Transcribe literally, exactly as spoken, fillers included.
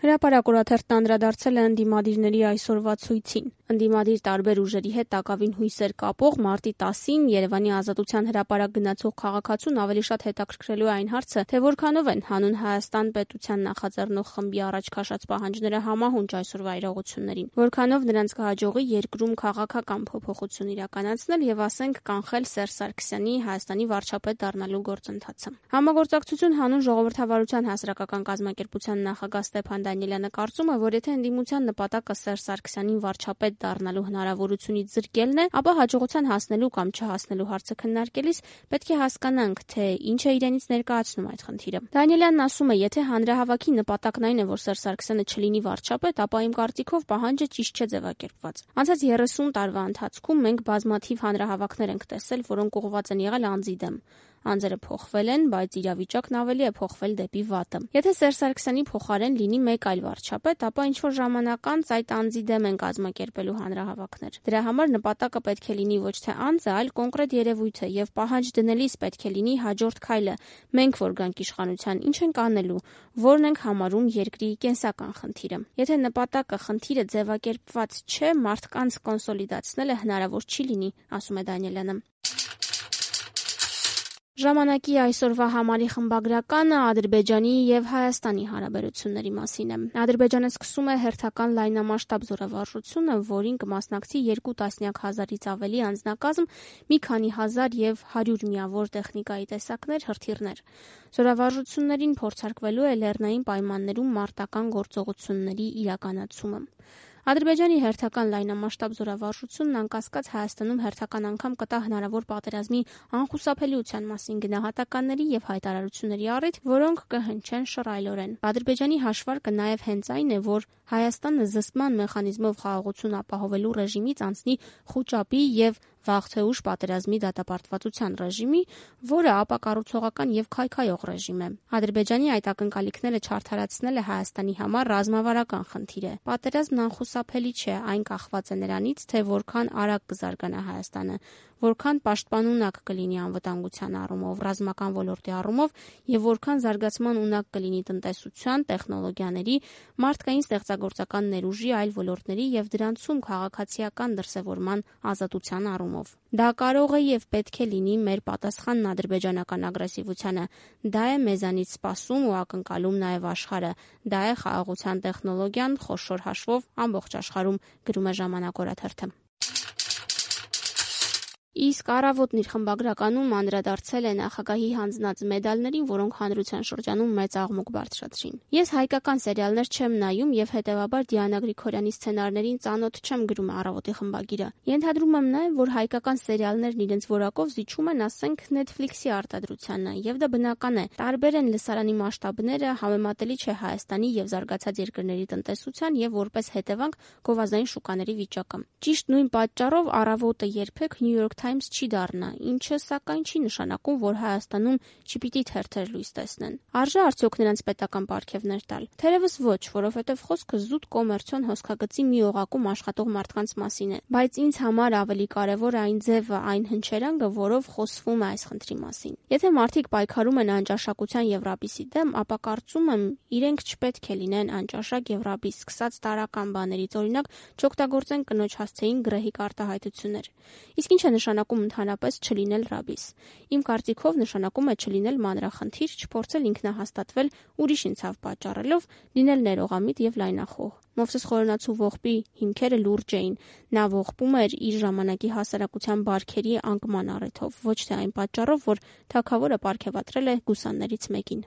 Հրապարակ օրաթերթն անդրադարձել է ընդդիմադիրների այսօրվա ցույցին։ Ընդդիմադիր տարբեր ուժերի հետ տակավին հույսեր կապող մարտի տասին Երևանի Ազատության հրապարակ գնացող քաղաքացուն ավելի շատ հետաքրքրելու է այն հարցը, թե որքանով են հանուն Հայաստան պետության նախաձեռնող խմբի առաջ քաշած պահանջները համահունչ այսօրվա իրողություններին, որքանով նրանց կհաջողի երկրում քաղաքական փոփոխություն իրականացնել եւ ասենք կանխել Սերժ Սարգսյանի Հայաստանի վարչապետ դառնալու գործընթացը։ Համագործակցություն հանուն ժողովրդավարության հասարակական կազմակերպության նախագահ Ստեփան Դանիելյանը կարծում է, որ եթե ընդդիմության նպատակը Սերժ Սարգսյանին վարչապետ դառնալու հնարավորությունից զրկելն է, ապա հաջողության հասնելու կամ չհասնելու հարցը քննարկելիս պետք է հասկանանք, թե ինչ է իրենից ներկայացնում այդ խնդիրը։ Դանիելյանն ասում է, եթե հանրահավաքի նպատակն այն է, որ Սերժ Սարգսյանը չլինի վարչապետ, ապա իմ կարծիքով պահանջը ճիշտ չէ ձևակերպված։ Անցած երեսուն տարվա ընթացքում մենք բազմաթիվ հանրահավաքներ ենք տեսել, որոնք ուղղված են եղել անձի դեմ։ Անձերը փոխվել են, բայց իրավիճակն ավելի է փոխվել դեպի վատը։ Եթե Սերժ Սարգսյանի փոխարեն լինի մեկ այլ վարչապետ, ապա ինչ-որ ժամանակ անց այդ անձի դեմ են կազմակերպելու հանրահավաքներ։ Դրա համար նպատակը պետք է լինի ոչ թե անձը, այլ կոնկրետ երևույթը, եւ պահանջ դնելիս պետք է լինի հաջորդ քայլը։ Մենք որ գանք իշխանության, ինչ ենք անելու, որն ենք համարում երկրի կենսական խնդիրը։ Եթե նպատակը խնդիրը ձևակերպված չէ, մարդկանց կոնսոլիդացնելը հնարավոր չի լինի, ասում է Դանիելյանը։ Ժամանակի այսօրվա համարի խմբագրականը Ադրբեջանի եւ Հայաստանի հարաբերությունների մասին է։ Ադրբեջանը սկսում է հերթական լայնամասշտաբ զորավարժությունը, որին կմասնակցի երկու տասնյակ հազարից ավելի անձնակազմ, մի քանի հազար եւ հարյուր միավոր տեխնիկայի տեսակներ, հրթիռներ։ Զորավարժություններին փորձարկվելու է լեռնային պայմաններում մարտական գործողությունների իրականացումը։ Ադրբեջանի հերթական լայնամասշտաբ զորավարժությունն անկասկած Հայաստանում հերթական անգամ կտա հնարավոր պատերազմի անխուսափելիության մասին գնահատականների եւ հայտարարությունների առիթ, որոնք կհնչեն շռայլորեն։ Ադրբեջանի հաշվարկը նաեւ հենց այն է, որ Հայաստանը զսպման մեխանիզմով խաղաղություն ապահովելու ռեժիմից անցնի խուճապի եւ վաղ թե ուշ պատերազմի դատապարտվածության ռեժիմի, որը ապակառուցողական եւ քայքայող ռեժիմ է։ Ադրբեջանի այդ ակնկալիքները չարդարացնելը Հայաստանի համար ռազմավարական խնդիր է։ Պատերազմն անխուսափելի չէ, այն կախված է նրանից, թե որքան արագ կզարգանա Հայաստանը, որքան պաշտպանունակ կլինի անվտանգության առումով, ռազմական ոլորտի առումով եւ որքան զարգացման ունակ կլինի տնտեսության, տեխնոլոգիաների, մարդկային ստեղծագործական ներուժի, այլ ոլորտների եւ դրանցում քաղաքացիական դրսեւորման ազատության առումով։ Դա կարող է եւ պետք է լինի մեր պատասխանն ադրբեջանական ագրեսիվությանը։ Դա է մեզանից սպասում ու ակնկալում նաեւ աշխարհը։ Դա է խաղաղության տեխնոլոգիան խոշոր հաշվով ամբողջ աշխարհում, գրում է Ժամանակ օրաթերթը։ Իսկ Առավոտն իր խմբագրականում անդրադարձել է նախագահի հանձնած մեդալներին, որոնք հանրության շրջանում մեծ աղմուկ բարձրացրին։ Ես հայկական սերիալներ չեմ նայում եւ հետեւաբար Դիանա Գրիգորյանի սցենարներին ծանոթ չեմ, գրում է Առավոտի խմբագիրը։ Ենթադրում եմ նաեւ, որ հայկական սերիալներն իրենց որակով զիջում են, ասենք, Netflix-ի արտադրությանը, եւ դա բնական է։ Տարբեր են լսարանի մասշտաբները, համեմատելի չէ Հայաստանի եւ զարգացած երկրների տնտեսության եւ որպես հետևանք գովազդային շուկաների վիճակը։ Ճիշտ նույն պատճառով Առավոտը երբեք New York Times չի դառնա, ինչը սակայն չի նշանակում, որ Հայաստանում չպիտի թերթեր լույս տեսնեն։ Արժե արդյոք նրանց պետական պարգևներ տալ։ Թերևս ոչ, որովհետև խոսքը զուտ կոմերցիոն հոսքագծի մի օղակում աշխատող մարդկանց մասին է, բայց ինձ համար ավելի կարևոր է այն ձևը, այն հնչերանգը, որով խոսվում է այս խնդրի մասին։ Եթե մարդիկ պայքարում են անճաշակության եւ ռաբիսի դեմ, ապա կարծում եմ, իրենք չպետք է լինեն անճաշակ եւ ռաբիս, սկսած տարական բաներից, օրինակ, չօգտագործեն կնոջ հասցեին գրեհիկ արտահայտություններ։ Իսկ ինչ է նշանակում ընդհանրապես չլինել ռաբիս։ Իմ կարծիքով նշանակում է չլինել մանրախնդիր, չփորձել ինքնահաստատվել ուրիշին ցավ պատճառելով, լինել ներողամիտ եւ լայնախոհ։ Մովսես Խորենացու ողբի հիմքերը լուրջ էին։ Նա ողբում էր իր ժամանակի հասարակության բարքերի անկման առիթով, ոչ թե այն պատճառով, որ թագավորը պարգևատրել է գուսաններից մեկին։